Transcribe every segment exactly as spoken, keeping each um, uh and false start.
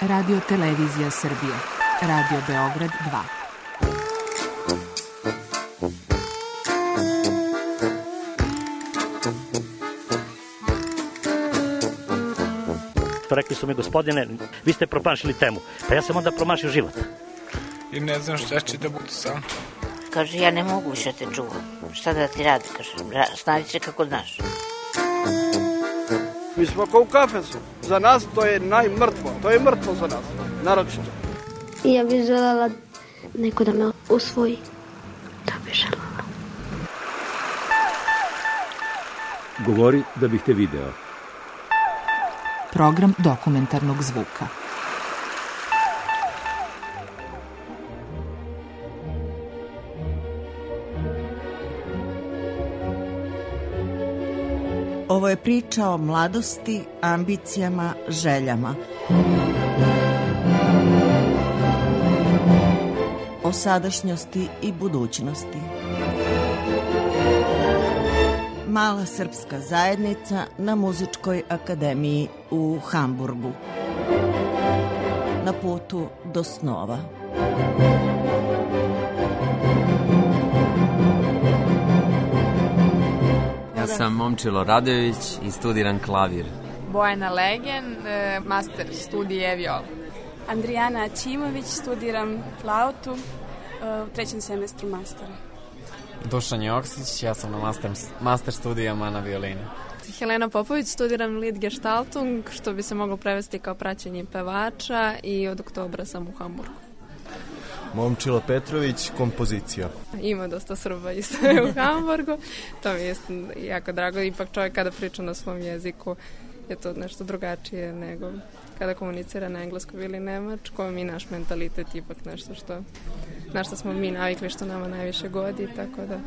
Radio Televizija Srbije. Radio Beograd dva. Rekli su mi, gospodine, vi ste promašili temu. Pa ja sam onda promašio život. I ne znam šta će da bude sam. Kaže, ja ne mogu više te čuvam. Šta da ti radi, kaže, snavi se kako znaš. Mi smo kao u kafesu. Za nas to je najmrtvo. To je mrtvo za nas, naročito. I ja bih želela neko da me usvoji. To bih želela. Govori da bih te video. Program dokumentarnog zvuka. Ovo je priča o mladosti, ambicijama, željama. O sadašnjosti i budućnosti. Mala srpska zajednica na Muzičkoj akademiji u Hamburgu. Na putu do snova. Ja sam Momčilo Radojević i studiram klavir. Bojana Legen, master studije viola. Andrijana Ćimović, studiram flautu u trećem semestru mastera. Dušan Joksić, ja sam na master, master studijama na violini. Helena Popović, studiram lead gestaltung, što bi se moglo prevesti kao praćenje pevača, i od oktobra sam u Hamburgu. Momčilo Petrović, kompozicija. Ima dosta Srba isto u Hamburgu, to mi je jako drago, ipak čovjek kada priča na svom jeziku je to nešto drugačije nego kada komunicira na engleskom ili nemačkom, i naš mentalitet ipak nešto što na što smo mi navikli, što nama najviše godi, tako da...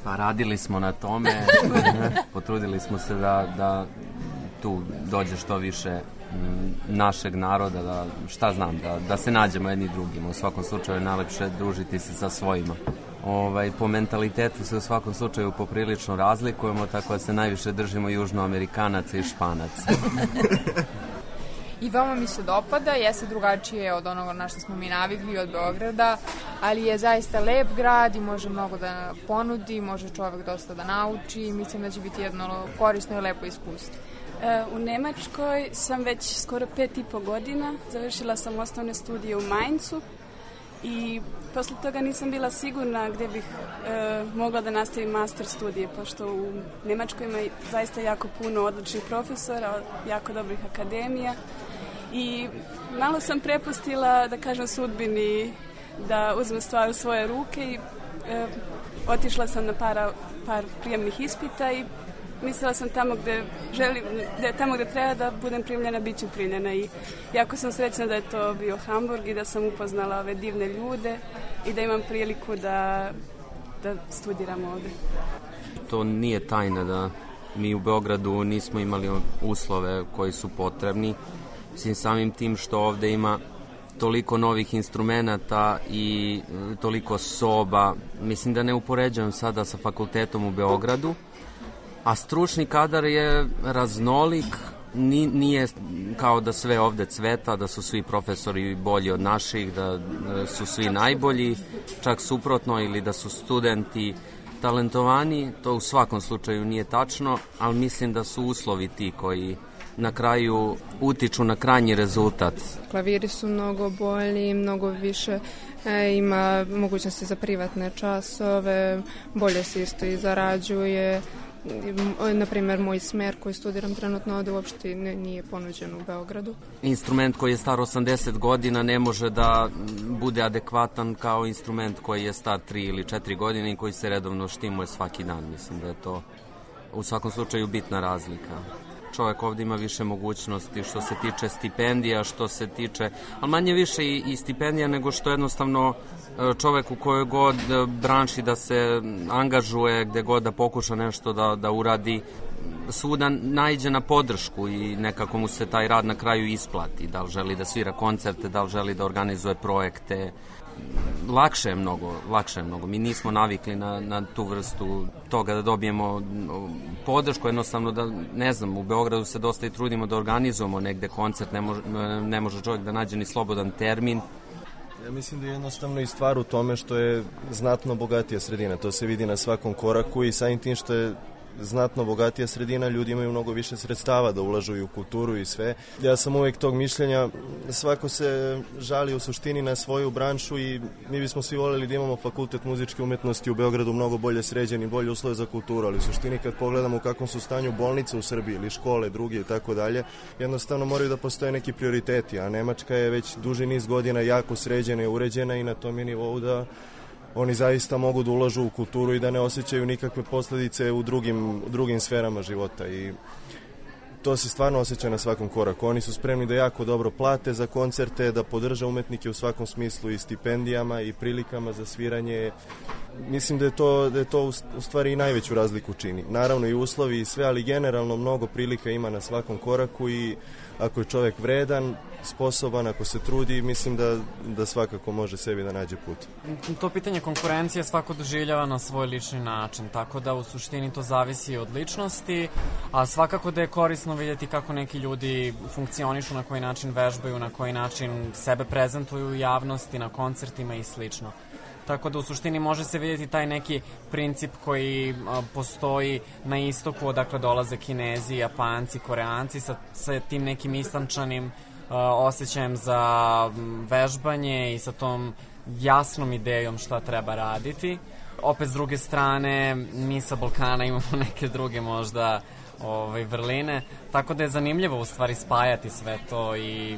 Pa radili smo na tome, potrudili smo se da, da tu dođe što više našeg naroda, da, šta znam, da, da se nađemo jedni drugima. U svakom slučaju je najlepše družiti se sa svojima. Ovaj, po mentalitetu se u svakom slučaju poprilično razlikujemo, tako da se najviše držimo južnoamerikanaca i španaca. I vama mi se dopada, jeste drugačije od onoga na što smo mi navikli od Beograda, ali je zaista lep grad i može mnogo da ponudi, može čovjek dosta da nauči i mislim da će biti jedno korisno i lepo iskustvo. U Nemačkoj sam već skoro pet i po godina, završila sam osnovne studije u Mainzu i posle toga nisam bila sigurna gdje bih e, mogla da nastavim master studije, pošto u Nemačkoj ima zaista jako puno odličnih profesora, jako dobrih akademija i malo sam prepustila, da kažem, sudbini da uzmem stvar u svoje ruke i e, otišla sam na para, par prijemnih ispita i mislila sam tamo gde želim, gde, tamo gde treba da budem primljena, bit ću primljena i jako sam srećna da je to bio Hamburg i da sam upoznala ove divne ljude i da imam priliku da, da studiram ovde. To nije tajna da mi u Beogradu nismo imali uslove koji su potrebni. Mislim, samim tim što ovde ima toliko novih instrumenata i toliko soba, mislim da ne upoređujem sada sa fakultetom u Beogradu, a stručni kadar je raznolik, nije kao da sve ovde cveta, da su svi profesori bolji od naših, da su svi najbolji, čak suprotno, ili da su studenti talentovani, to u svakom slučaju nije tačno, ali mislim da su uslovi ti koji na kraju utiču na krajnji rezultat. Klaviri su mnogo bolji, mnogo više e, ima mogućnosti za privatne časove, bolje se isto i zarađuje. Na primjer, moj smer koji studiram trenutno ovde uopšte nije ponuđen u Beogradu. Instrument koji je star osamdeset godina ne može da bude adekvatan kao instrument koji je star tri ili četiri godine i koji se redovno štimuje svaki dan. Mislim da je to u svakom slučaju bitna razlika. Čovjek ovdje ima više mogućnosti što se tiče stipendija, što se tiče, ali manje više i, i stipendija nego što jednostavno čovjek u kojoj god branši da se angažuje, gde god da pokuša nešto da, da uradi, svuda naiđe na podršku i nekako mu se taj rad na kraju isplati. Da li želi da svira koncerte, da li želi da organizuje projekte. Lakše je mnogo, lakše je mnogo. Mi nismo navikli na, na tu vrstu toga da dobijemo podršku, jednostavno da, ne znam, u Beogradu se dosta i trudimo da organizujemo negde koncert, ne može, ne može čovjek da nađe ni slobodan termin. Ja mislim da je jednostavno i stvar u tome što je znatno bogatija sredina. To se vidi na svakom koraku i samim tim što je znatno bogatija sredina, ljudi imaju mnogo više sredstava da ulažu i u kulturu i sve. Ja sam uvek tog mišljenja, svako se žali u suštini na svoju branšu i mi bismo svi voljeli da imamo fakultet muzičke umetnosti u Beogradu mnogo bolje sređen i bolje uslove za kulturu, ali u suštini kad pogledamo u kakvom su stanju bolnice u Srbiji ili škole, druge i tako dalje, jednostavno moraju da postoje neki prioriteti, a Nemačka je već duži niz godina jako sređena i uređena i na tom je nivou da oni zaista mogu da ulažu u kulturu i da ne osjećaju nikakve posledice u drugim, u drugim sferama života i to se stvarno osjeća na svakom koraku. Oni su spremni da jako dobro plate za koncerte, da podrža umetnike u svakom smislu i stipendijama i prilikama za sviranje. Mislim da je to, da je to u stvari i najveću razliku čini. Naravno i uslovi i sve, ali generalno mnogo prilika ima na svakom koraku i ako je čovjek vredan, sposoban, ako se trudi, mislim da, da svakako može sebi da nađe put. To pitanje konkurencije svako doživljava na svoj lični način, tako da u suštini to zavisi od ličnosti, a svakako da je korisno vidjeti kako neki ljudi funkcionišu, na koji način vežbaju, na koji način sebe prezentuju u javnosti, na koncertima i slično. Tako da u suštini može se vidjeti taj neki princip koji a, postoji na istoku, odakle dolaze Kinezi, Japanci, Koreanci sa, sa tim nekim istančanim a, osjećajem za m, vežbanje i sa tom jasnom idejom šta treba raditi. Opet s druge strane, mi sa Balkana imamo neke druge možda ovaj, vrline, tako da je zanimljivo u stvari spajati sve to i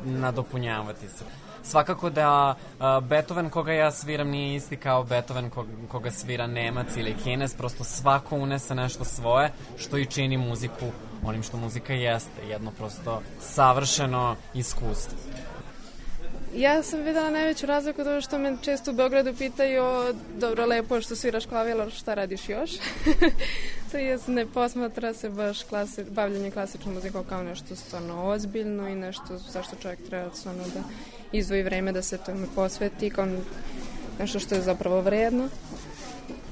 nadopunjavati se. Svakako da uh, Beethoven koga ja sviram nije isti kao Beethoven koga, koga svira Nemac ili Kinez, prosto svako unese nešto svoje što i čini muziku onim što muzika jeste, jedno prosto savršeno iskustvo. Ja sam videla najveću razliku to što me često u Beogradu pitaju, dobro, lepo je što sviraš klavir, ali šta radiš još? To je, ne posmatra se baš klasi, bavljanje klasičnom muzikom kao nešto stvarno ozbiljno i nešto zašto čovjek treba stvarno da izdvoji vreme da se tome posveti kao nešto što je zapravo vredno.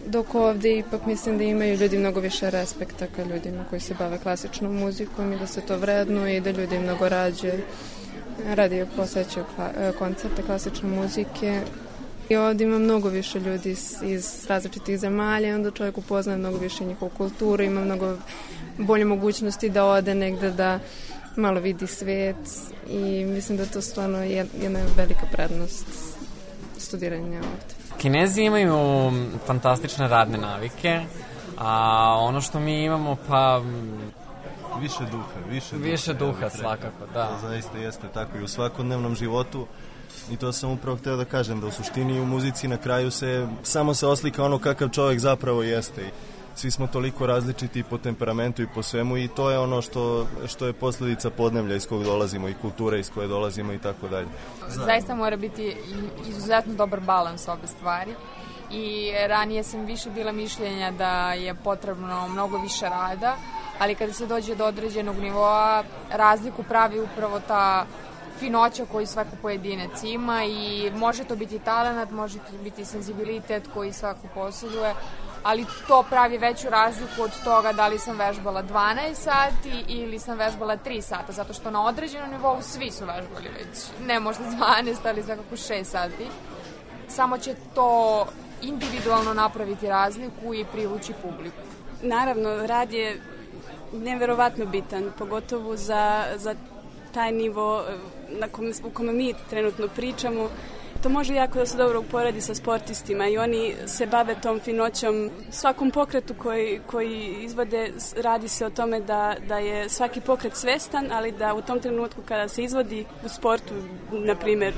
Dok ovdje ipak mislim da imaju ljudi mnogo više respekta ka ljudima koji se bave klasičnom muzikom i da se to vredno i da ljudi mnogo rađe radi posećaju koncerte klasične muzike. I ovdje ima mnogo više ljudi iz, iz različitih zemalja i onda čovjek upoznaje mnogo više njihovu kulturu, ima mnogo bolje mogućnosti da ode negde da malo vidi svet i mislim da je to stvarno jedna velika prednost studiranja ovdje. Kinezi imaju fantastične radne navike, a ono što mi imamo pa... Više duha, više duha. Više duha, svakako, da. To zaista jeste tako i u svakodnevnom životu. I to sam upravo htio da kažem, da u suštini u muzici na kraju se samo se oslika ono kakav čovjek zapravo jeste. I svi smo toliko različiti po temperamentu i po svemu i to je ono što, što je posljedica podneblja iz kojeg dolazimo i kulture iz koje dolazimo i tako dalje. Zaista mora biti izuzetno dobar balans ove stvari. I ranije sam više bila mišljenja da je potrebno mnogo više rada, ali kada se dođe do određenog nivoa, razliku pravi upravo ta finoća koju svako pojedinac ima i može to biti talenat, može to biti senzibilitet koji svako posjeduje, ali to pravi veću razliku od toga da li sam vežbala dvanaest sati ili sam vežbala tri sata, zato što na određenom nivou svi su vežbali već, ne možda dvanaest, ali svakako šest sati. Samo će to individualno napraviti razliku i privući publiku. Naravno, rad je neverovatno bitan, pogotovo za, za taj nivo na kom, u kome mi trenutno pričamo. To može jako da se dobro uporedi sa sportistima i oni se bave tom finoćom. Svakom pokretu koji, koji izvode radi se o tome da, da je svaki pokret svestan, ali da u tom trenutku kada se izvodi u sportu, na primjer,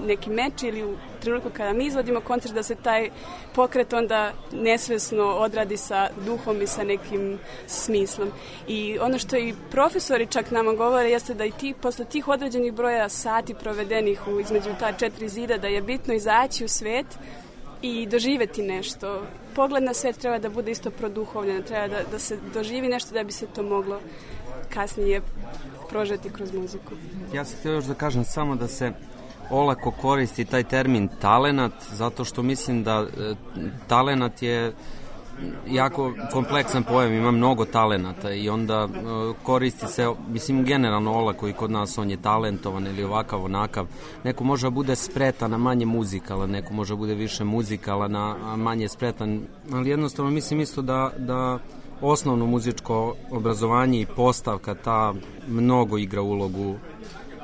neki meč ili u trenutku kada mi izvodimo koncert, da se taj pokret onda nesvesno odradi sa duhom i sa nekim smislom. I ono što i profesori čak nama govore jeste da i ti, posle tih određenih broja sati provedenih u, između ta četiri zida, da je bitno izaći u svet i doživeti nešto. pogled na svet treba da bude isto produhovljen, treba da, da se doživi nešto da bi se to moglo kasnije prožeti kroz muziku. Ja sam htio još da kažem samo da se olako koristi taj termin talenat, zato što mislim da e, talenat je jako kompleksan pojam, ima mnogo talenata i onda e, koristi se, mislim generalno olako i kod nas on je talentovan ili ovakav onakav. Neko može da bude spretan, a manje muzikalan, neko može da bude više muzikalan, a manje spretan, ali jednostavno mislim isto da, da osnovno muzičko obrazovanje i postavka ta mnogo igra ulogu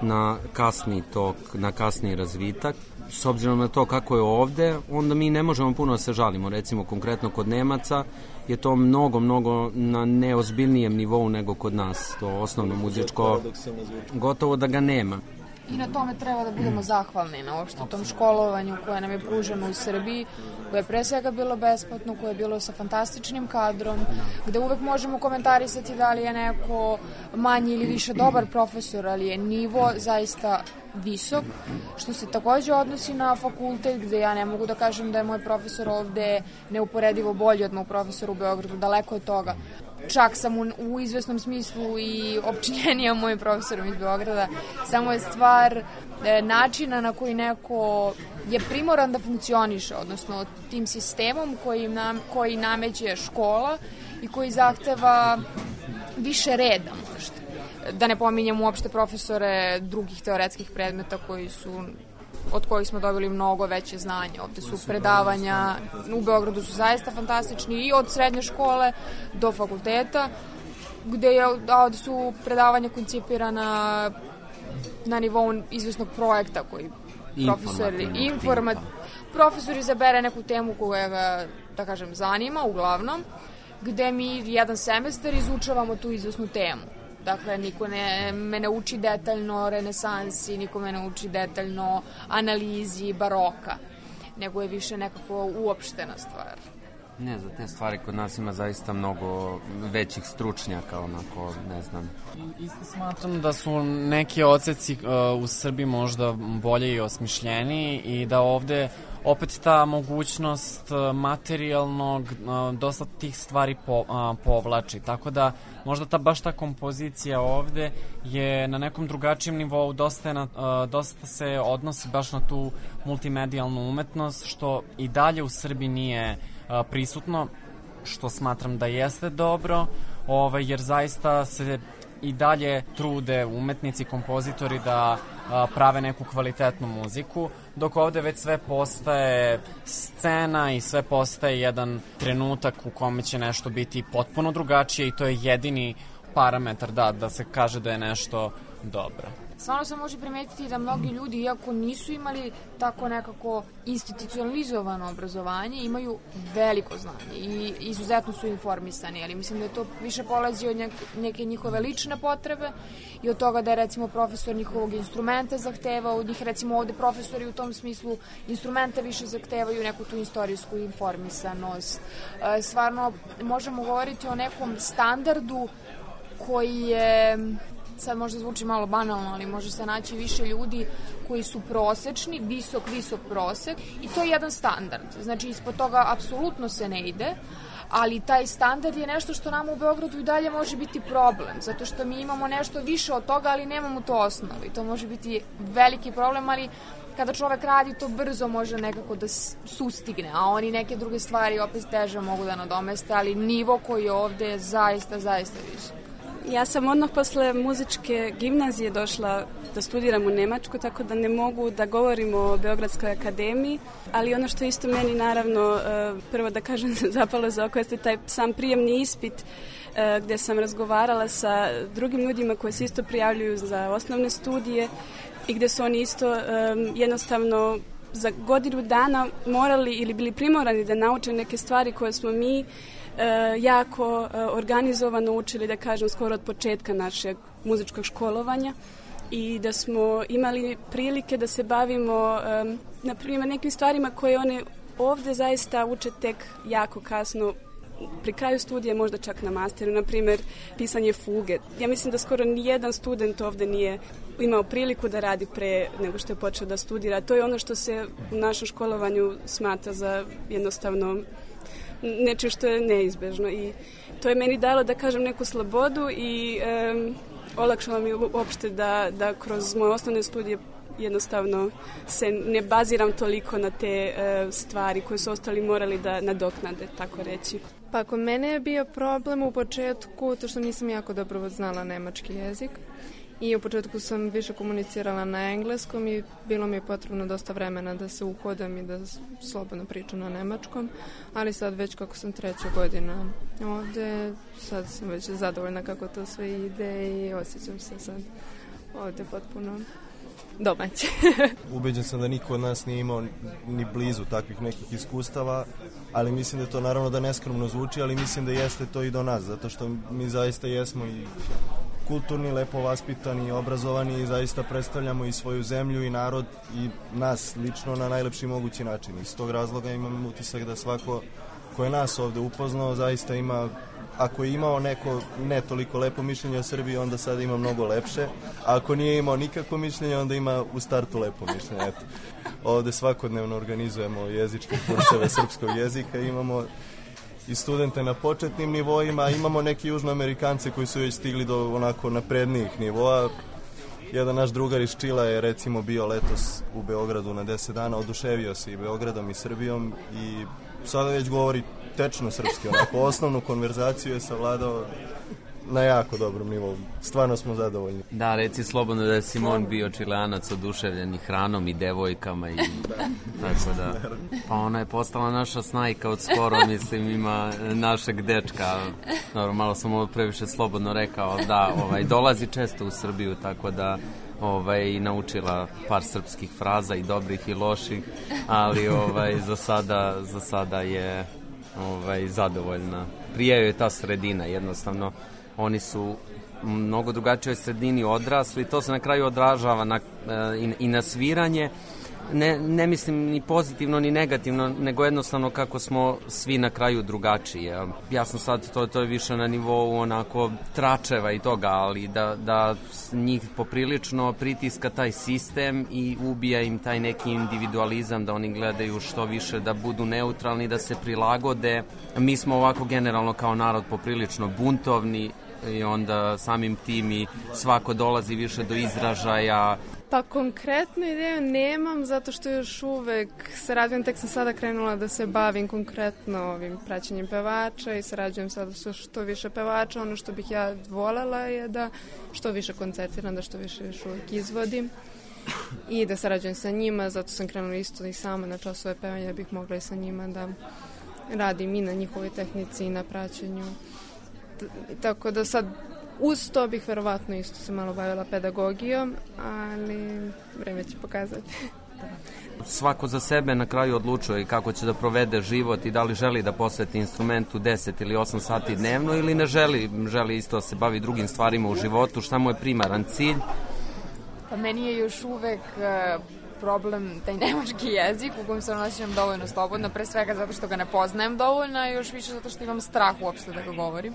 na kasni tok, na kasni razvitak. S obzirom na to kako je ovde, onda mi ne možemo puno da se žalimo. Recimo, konkretno kod Nemaca je to mnogo, mnogo na neozbiljnijem nivou nego kod nas. To osnovno muzičko, gotovo da ga nema. I na tome treba da budemo zahvalni na uopšte tom školovanju koje nam je pruženo u Srbiji, koje je pre svega bilo besplatno, koje je bilo sa fantastičnim kadrom, gde uvek možemo komentarisati da li je neko manji ili više dobar profesor, ali je nivo zaista visok, što se takođe odnosi na fakultet, gde ja ne mogu da kažem da je moj profesor ovde neuporedivo bolji od moj profesora u Beogradu, daleko od toga. Čak sam u, u izvesnom smislu i opčinjenija mojim profesorom iz Beograda. Samo je stvar e, načina na koji neko je primoran da funkcioniše, odnosno tim sistemom koji, nam, koji nameće škola i koji zahteva više reda možda. Da ne pominjem uopšte profesore drugih teoretskih predmeta koji su od kojih smo dobili mnogo veće znanje. Ovde su predavanja, u Beogradu su zaista fantastični i od srednje škole do fakulteta, gde je, a ovde su predavanja koncipirana na nivou izvesnog projekta koji profesori, informat, profesor izabere neku temu koja ga, da kažem, zanima uglavnom, gde mi jedan semestar izučavamo tu izvesnu temu. Dakle, niko ne, me ne uči detaljno renesansi, niko me ne uči detaljno analizi baroka, nego je više nekako uopštena stvar. Ne, za te stvari kod nas ima zaista mnogo većih stručnjaka, onako, ne znam. Isto smatram da su neki odseci uh, u Srbiji možda bolje i osmišljeniji i da ovde opet ta mogućnost materijalnog dosta tih stvari po, a, povlači, tako da možda ta baš ta kompozicija ovde je na nekom drugačijem nivou, dosta, je na, a, dosta se odnosi baš na tu multimedijalnu umetnost, što i dalje u Srbiji nije a, prisutno, što smatram da jeste dobro, ovaj, jer zaista se i dalje trude umetnici, kompozitori da a, prave neku kvalitetnu muziku, dok ovde već sve postaje scena i sve postaje jedan trenutak u kome će nešto biti potpuno drugačije i to je jedini parametar da, da se kaže da je nešto dobro. Stvarno se može primetiti da mnogi ljudi, iako nisu imali tako nekako institucionalizovano obrazovanje, imaju veliko znanje i izuzetno su informisani, ali mislim da je to više polazi od neke njihove lične potrebe i od toga da je recimo profesor njihovog instrumenta zahteva od njih, recimo ovde profesori u tom smislu instrumenta više zahtevaju neku tu istorijsku informisanost. Stvarno možemo govoriti o nekom standardu koji je, sad možda zvuči malo banalno, ali može se naći više ljudi koji su prosečni, visok, visok prosek i to je jedan standard. Znači, ispod toga apsolutno se ne ide, ali taj standard je nešto što nam u Beogradu i dalje može biti problem, zato što mi imamo nešto više od toga, ali nemamo to osnovu i to može biti veliki problem, ali kada čovek radi to brzo može nekako da sustigne, a oni neke druge stvari opet teže mogu da nadomeste, ali nivo koji je ovde je zaista, zaista visok. Ja sam odmah posle muzičke gimnazije došla da studiram u Nemačku, tako da ne mogu da govorim o Beogradskoj akademiji, ali ono što isto meni naravno, prvo da kažem, zapalo za oko jeste taj sam prijemni ispit gde sam razgovarala sa drugim ljudima koji se isto prijavljuju za osnovne studije i gde su oni isto jednostavno za godinu dana morali ili bili primorani da nauče neke stvari koje smo mi E, jako e, organizovano učili, da kažem, skoro od početka našeg muzičkog školovanja i da smo imali prilike da se bavimo e, na primjer nekim stvarima koje one ovde zaista uče tek jako kasno pri kraju studija, možda čak na masteru, na primjer pisanje fuge. Ja mislim da skoro nijedan student ovde nije imao priliku da radi pre nego što je počeo da studira. To je ono što se u našem školovanju smatra za jednostavno nečim što je neizbežno i to je meni dalo da kažem neku slobodu i um, olakšalo mi uopšte da, da kroz moje osnovne studije jednostavno se ne baziram toliko na te uh, stvari koje su ostali morali da nadoknade, tako reći. Pa kod mene je bio problem u početku to što nisam jako dobro znala nemački jezik i u početku sam više komunicirala na engleskom i bilo mi je potrebno dosta vremena da se uhodam i da slobodno pričam na nemačkom, ali sad već kako sam treća godina ovde, sad sam već zadovoljna kako to sve ide i osjećam se sad ovde potpuno domaće. Ubeđen sam da niko od nas nije imao ni blizu takvih nekih iskustava, ali mislim da to naravno da neskromno zvuči, ali mislim da jeste to i do nas, zato što mi zaista jesmo i kulturni, lepo vaspitani, obrazovani i zaista predstavljamo i svoju zemlju i narod i nas lično na najlepši mogući način. Iz tog razloga imam utisak da svako ko je nas ovde upoznao zaista ima, ako je imao neko ne toliko lepo mišljenje o Srbiji, onda sada ima mnogo lepše, a ako nije imao nikakvo mišljenje, onda ima u startu lepo mišljenje. Eto, ovde svakodnevno organizujemo jezičke kurseve srpskog jezika, imamo i studente na početnim nivoima, imamo neke južnoamerikance koji su već stigli do onako naprednijih nivoa. Jedan naš drugar iz Čila je recimo bio letos u Beogradu na deset dana, oduševio se i Beogradom i Srbijom i sada već govori tečno srpski, onako osnovnu konverzaciju je savladao na jako dobrom nivou. Stvarno smo zadovoljni. Da, reci slobodno da je Simon bio Čilanac oduševljen i hranom i devojkama i tako da. Pa ona je postala naša snajka od skoro, mislim, ima našeg dečka. Dobro, malo sam ovo previše slobodno rekao, da, ovaj, dolazi često u Srbiju, tako da ovaj, naučila par srpskih fraza i dobrih i loših, ali ovaj, za sada, za sada je ovaj, zadovoljna. Prije je ta sredina, jednostavno. Oni su mnogo drugačijoj sredini odrasli, to se na kraju odražava na, i, i na sviranje, ne, ne mislim ni pozitivno ni negativno, nego jednostavno kako smo svi na kraju drugačiji. Ja sam sad, to, to je više na nivou onako tračeva i toga, ali da, da njih poprilično pritiska taj sistem i ubija im taj neki individualizam, da oni gledaju što više da budu neutralni, da se prilagode. Mi smo ovako generalno kao narod poprilično buntovni i onda samim tim i svako dolazi više do izražaja. Pa konkretnu ideju nemam, zato što još uvek sarađujem, tek sam sada krenula da se bavim konkretno ovim praćenjem pevača i sarađujem sada sa što više pevača. Ono što bih ja volela je da što više koncertiram, da što više još uvek izvodim i da sarađujem sa njima, zato sam krenula isto i sama na časove pevanja, da bih mogla i sa njima da radim i na njihovoj tehnici i na praćenju. Tako da sad uz to bih verovatno isto se malo bavila pedagogijom, ali vreme će pokazati. Svako za sebe na kraju odlučuje kako će da provede život i da li želi da posveti instrumentu deset ili osam sati dnevno ili ne želi, želi isto da se bavi drugim stvarima u životu, šta mu je primaran cilj. Pa meni je još uvek problem taj nemački jezik u kojem se osjećam dovoljno slobodno, pre svega zato što ga ne poznajem dovoljno, a još više zato što imam strah uopšte da ga govorim,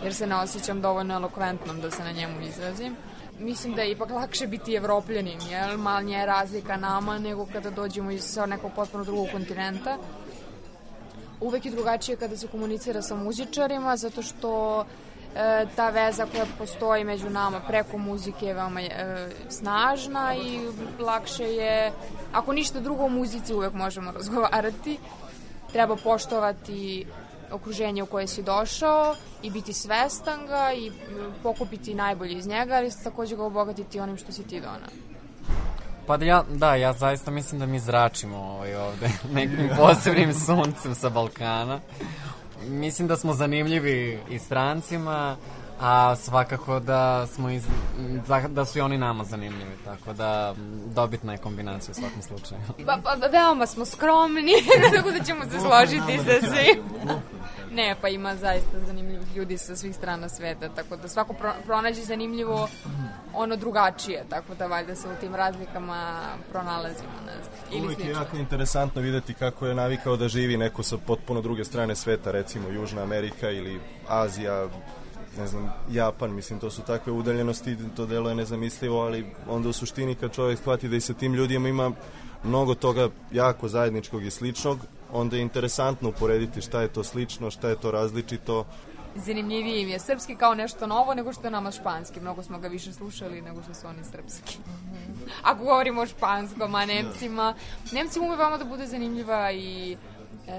jer se ne osjećam dovoljno elokventnom da se na njemu izrazim. Mislim da je ipak lakše biti Evropljanin, jer manja je razlika nama nego kada dođemo iz nekog potpuno drugog kontinenta. Uvek je drugačije kada se komunicira sa muzičarima, zato što e, ta veza koja postoji među nama preko muzike je veoma e, snažna i lakše je, ako ništa drugo, u muzici uvek možemo razgovarati. Treba poštovati okruženje u koje si došao i biti svestan ga i pokupiti najbolje iz njega, ali također ga obogatiti onim što si ti donao. Pa da ja, da, ja zaista mislim da mi zračimo ovaj ovde nekim posebnim suncem sa Balkana. Mislim da smo zanimljivi i strancima, a svakako da smo iz, da su i oni nama zanimljivi, tako da dobitna je kombinacija u svakom slučaju. Pa, pa veoma smo skromni, tako da ćemo se složiti sa svim. Ne, pa ima zaista zanimljivih ljudi sa svih strana sveta, tako da svako pro, pronađe zanimljivo ono drugačije, tako da valjda se u tim razlikama pronalazimo. Ne znam, uvijek je jako interesantno videti kako je navikao da živi neko sa potpuno druge strane sveta, recimo Južna Amerika ili Azija, ne znam, Japan, mislim, to su takve udaljenosti, to delo je nezamislivo, ali onda u suštini kad čovjek shvati da i sa tim ljudima ima mnogo toga jako zajedničkog i sličnog, onda je interesantno uporediti šta je to slično, šta je to različito. Zanimljivije im je srpski kao nešto novo nego što je nama španski. Mnogo smo ga više slušali nego što su oni srpski. Ako govorimo o španskom, a Nemcima, Nemcima ume vama da bude zanimljiva i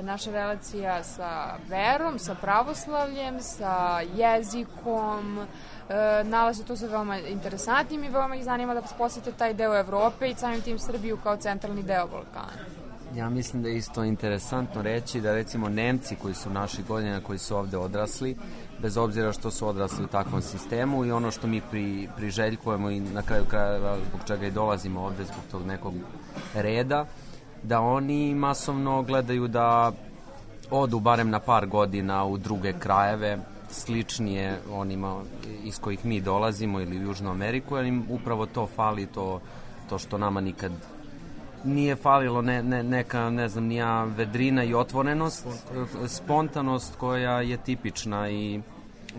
naša relacija sa verom, sa pravoslavljem, sa jezikom, e, nalaze to se veoma interesantnim i veoma ih zanima da posete taj deo Evrope i samim tim Srbiju kao centralni deo Balkana. Ja mislim da je isto interesantno reći da recimo Nemci koji su naših godina, koji su ovde odrasli, bez obzira što su odrasli u takvom sistemu i ono što mi pri, priželjkujemo i na kraju krajeva zbog čega i dolazimo ovde zbog tog nekog reda, da oni masovno gledaju da odu barem na par godina u druge krajeve, sličnije onima iz kojih mi dolazimo ili u Južnu Ameriku, jer im upravo to fali, to, to što nama nikad nije falilo, ne, ne, neka, ne znam, nija vedrina i otvorenost, spontanost koja je tipična i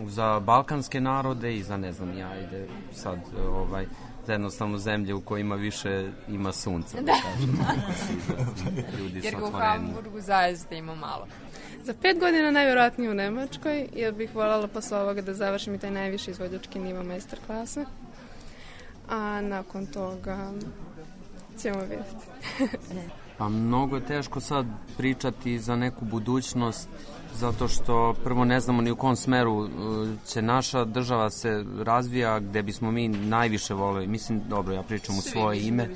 za balkanske narode i za, ne znam, ja ide sad, ovaj, za jednostavno zemlje u kojima više ima sunca. Da. Ljudi jer su u Hamburgu zaista ima malo. Za pet godina najvjerojatnije u Nemačkoj, jer bih voljela posle ovoga da završim i taj najviši izvođački nivo master klase. A nakon toga ćemo vidjeti. Pa mnogo je teško sad pričati za neku budućnost, zato što prvo ne znamo ni u kom smeru će naša država se razvija, gde bismo mi najviše voleli, mislim, dobro, ja pričam u svoje ime,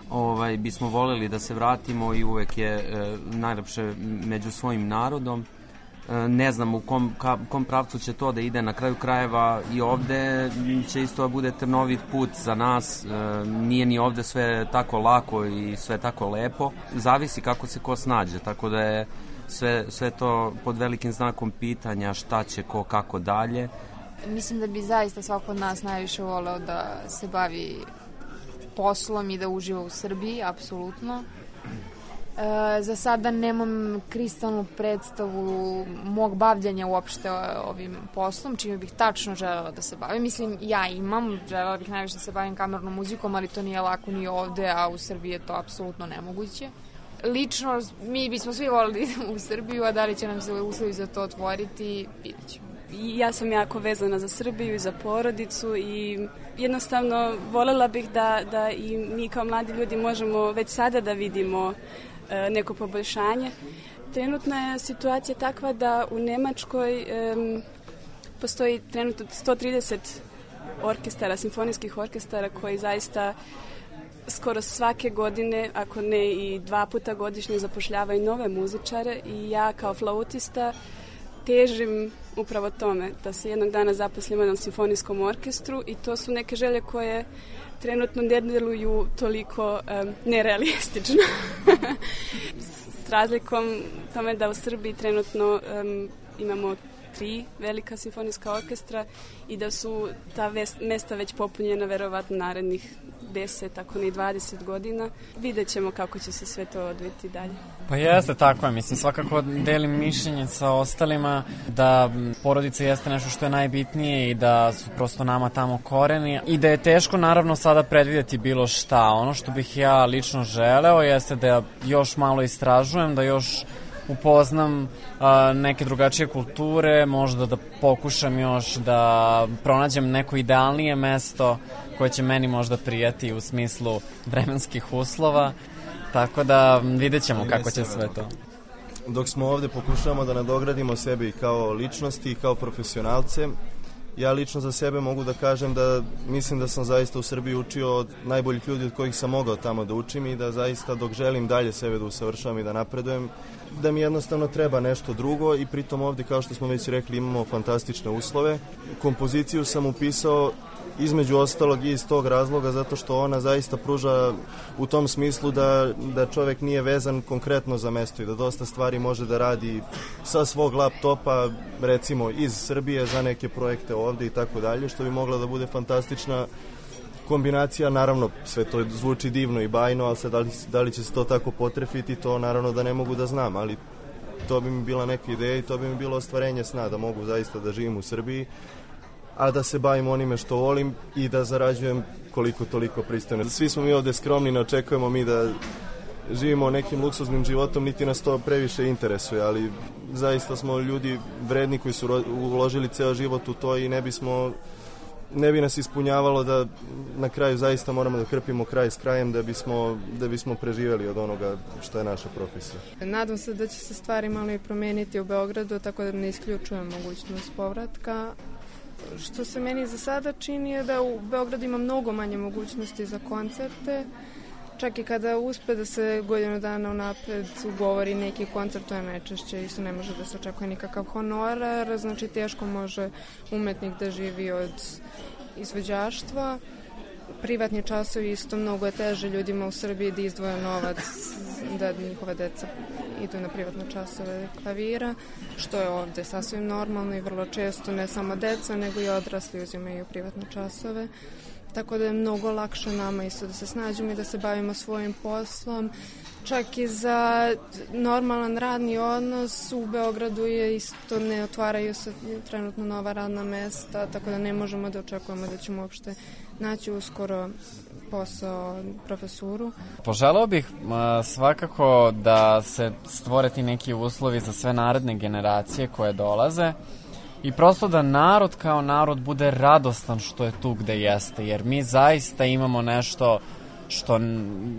ovaj, bismo voleli da se vratimo i uvek je e, najlepše među svojim narodom. E, ne znam u kom, ka, kom pravcu će to da ide, na kraju krajeva i ovde će isto da bude trnovit put za nas, e, nije ni ovde sve tako lako i sve tako lepo, zavisi kako se ko snađe, tako da je sve, sve to pod velikim znakom pitanja šta će ko kako dalje. Mislim da bi zaista svako od nas najviše voleo da se bavi poslom i da uživa u Srbiji, apsolutno. E, za sada nemam kristalnu predstavu mog bavljanja uopšte ovim poslom, čime bih tačno želela da se bavim. Mislim, ja imam, želela bih najviše da se bavim kamernom muzikom, ali to nije lako ni ovde, a u Srbiji je to apsolutno nemoguće. Lično, mi bismo svi volili u Srbiju, a da li će nam se uslovi za to otvoriti, vidjet ćemo. Ja sam jako vezana za Srbiju i za porodicu i jednostavno volela bih da, da i mi kao mladi ljudi možemo već sada da vidimo e, neko poboljšanje. Trenutna je situacija takva da u Nemačkoj e, postoji trenutno sto trideset orkestara, simfonijskih orkestara koji zaista skoro svake godine, ako ne i dva puta godišnje, zapošljavaju nove muzičare i ja kao flautista težim upravo tome, da se jednog dana zaposlim u jednom simfonijskom orkestru i to su neke želje koje trenutno ne deluju toliko um, nerealistično. S razlikom tome da u Srbiji trenutno um, imamo tri velika simfonijska orkestra i da su ta mesta već popunjena verovatno narednih deset, ako ne dvadeset godina. Vidjet ćemo kako će se sve to odviti dalje. Pa jeste, tako je. Mislim, svakako delim mišljenje sa ostalima da porodica jeste nešto što je najbitnije i da su prosto nama tamo koreni i da je teško naravno sada predvidjeti bilo šta. Ono što bih ja lično želeo jeste da još malo istražujem, da još upoznam a, neke drugačije kulture, možda da pokušam još da pronađem neko idealnije mesto koje će meni možda prijati u smislu vremenskih uslova, tako da vidjet ćemo kako će sve to. Dok smo ovde pokušavamo da nadogradimo sebe i kao ličnosti i kao profesionalce, ja lično za sebe mogu da kažem da mislim da sam zaista u Srbiji učio od najboljih ljudi od kojih sam mogao tamo da učim i da zaista dok želim dalje sebe da usavršavam i da napredujem, da mi jednostavno treba nešto drugo i pritom ovde, kao što smo već rekli, imamo fantastične uslove. Kompoziciju sam upisao između ostalog i iz tog razloga zato što ona zaista pruža u tom smislu da, da čovek nije vezan konkretno za mesto i da dosta stvari može da radi sa svog laptopa, recimo iz Srbije za neke projekte ovde i tako dalje, što bi mogla da bude fantastična kombinacija. Naravno, sve to zvuči divno i bajno, ali sad da li, da li će se to tako potrefiti, to naravno da ne mogu da znam, ali to bi mi bila neka ideja i to bi mi bilo ostvarenje sna, da mogu zaista da živim u Srbiji a da se bavim onime što volim i da zarađujem koliko toliko pristojno. Svi smo mi ovde skromni, ne očekujemo mi da živimo nekim luksuznim životom, niti nas to previše interesuje, ali zaista smo ljudi vredni koji su uložili ceo život u to i ne bismo ne bi nas ispunjavalo da na kraju zaista moramo da krpimo kraj s krajem da bismo, da bismo preživeli od onoga što je naša profesija. Nadam se da će se stvari malo i promeniti u Beogradu, tako da ne isključujem mogućnost povratka. Što se meni za sada čini je da u Beogradu ima mnogo manje mogućnosti za koncerte. Čak i kada uspe da se godinu dana unapred ugovori neki koncert, to je najčešće, isto ne može da se očekuje nikakav honorar, znači teško može umetnik da živi od izvođaštva. Privatni časovi isto mnogo je teže ljudima u Srbiji da izdvoje novac, da njihova deca idu na privatne časove klavira, što je ovde sasvim normalno i vrlo često ne samo deca, nego i odrasli uzimaju privatne časove. Tako da je mnogo lakše nama isto da se snađemo i da se bavimo svojim poslom. Čak i za normalan radni odnos u Beogradu je isto, ne otvaraju se trenutno nova radna mesta, tako da ne možemo da očekujemo da ćemo uopšte naći uskoro posao, profesuru. Poželeo bih a, svakako da se stvore ti neki uslovi za sve naredne generacije koje dolaze, i prosto da narod kao narod bude radostan što je tu gde jeste, jer mi zaista imamo nešto što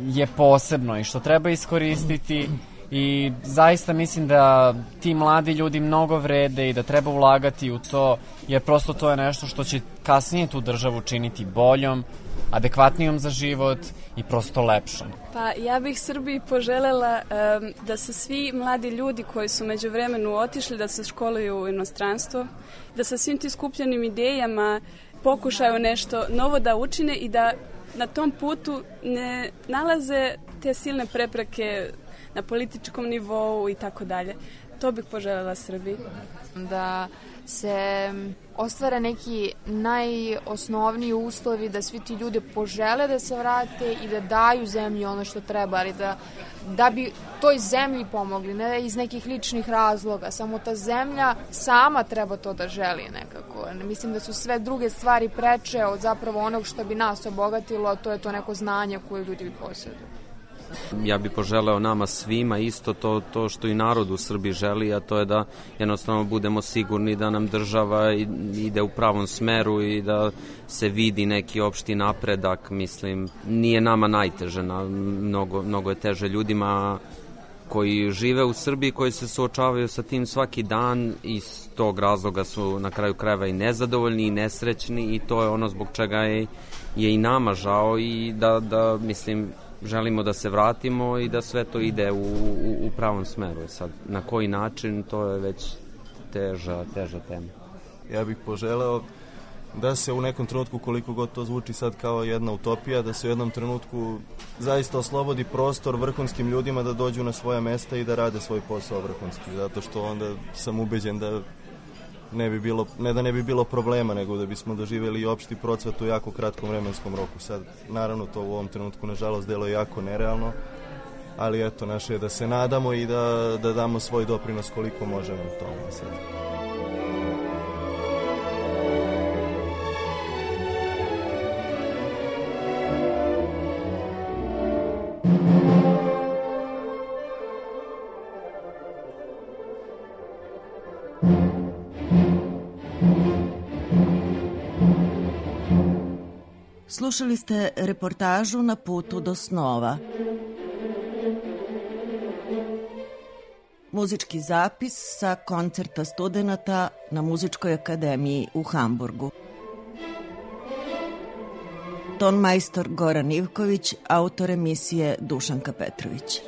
je posebno i što treba iskoristiti i zaista mislim da ti mladi ljudi mnogo vrede i da treba ulagati u to, jer prosto to je nešto što će kasnije tu državu činiti boljom, adekvatnijom za život i prosto lepšom. Pa ja bih Srbiji poželela um, da se svi mladi ljudi koji su među vremenu otišli da se školuju u inostranstvo, da sa svim tim skupljenim idejama pokušaju nešto novo da učine i da na tom putu ne nalaze te silne prepreke na političkom nivou i tako dalje. To bih poželjela Srbiji. Da se ostvare neki najosnovniji uslovi, da svi ti ljudi požele da se vrate i da daju zemlji ono što treba, ali da, da bi toj zemlji pomogli, ne iz nekih ličnih razloga, samo ta zemlja sama treba to da želi nekako. Mislim da su sve druge stvari preče od zapravo onog što bi nas obogatilo, a to je to neko znanje koje ljudi posjeduju. Ja bih poželeo nama svima isto to, to što i narod u Srbiji želi, a to je da jednostavno budemo sigurni da nam država ide u pravom smeru i da se vidi neki opšti napredak. Mislim, nije nama najteže, na, mnogo, mnogo je teže ljudima koji žive u Srbiji, koji se suočavaju sa tim svaki dan i iz tog razloga su na kraju krajeva i nezadovoljni i nesrećni i to je ono zbog čega je, je i nama žao i da, da mislim, želimo da se vratimo i da sve to ide u, u, u pravom smeru. Sad, na koji način, to je već teža, teža tema. Ja bih poželeo da se u nekom trenutku, koliko god to zvuči sad kao jedna utopija, da se u jednom trenutku zaista oslobodi prostor vrhunskim ljudima da dođu na svoja mesta i da rade svoj posao vrhunski, zato što onda sam ubeđen da ne bi bilo, ne da ne bi bilo problema, nego da bismo doživjeli i opšti procvat u jako kratkom vremenskom roku. Sad, naravno, to u ovom trenutku, nažalost, deluje jako nerealno, ali eto, naše je da se nadamo i da, da damo svoj doprinos koliko možemo u tome sad. Slušali ste reportažu Na putu do snova. Muzički zapis sa koncerta studenata na Muzičkoj akademiji u Hamburgu. Ton majstor Goran Ivković, autor emisije Dušanka Petrović.